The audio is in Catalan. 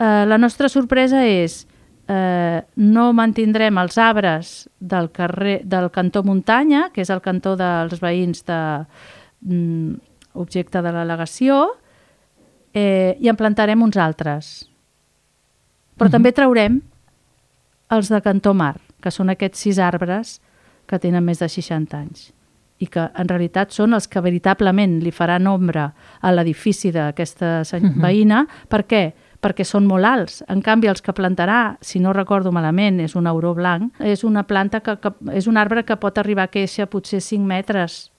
la nostra sorpresa és no mantindrem els arbres del cantó muntanya, que és el cantó dels veïns objecte de l'al·legació, i en plantarem uns altres. Però també traurem els de cantó mar, que són aquests 6 arbres que tenen més de 60 anys i que en realitat són els que veritablement li faran ombra a l'edifici d'aquesta veïna. Per què? Perquè són molt alts. En canvi, els que plantarà, si no recordo malament, és un auró blanc, és una planta és un arbre que pot arribar a créixer potser 5 metres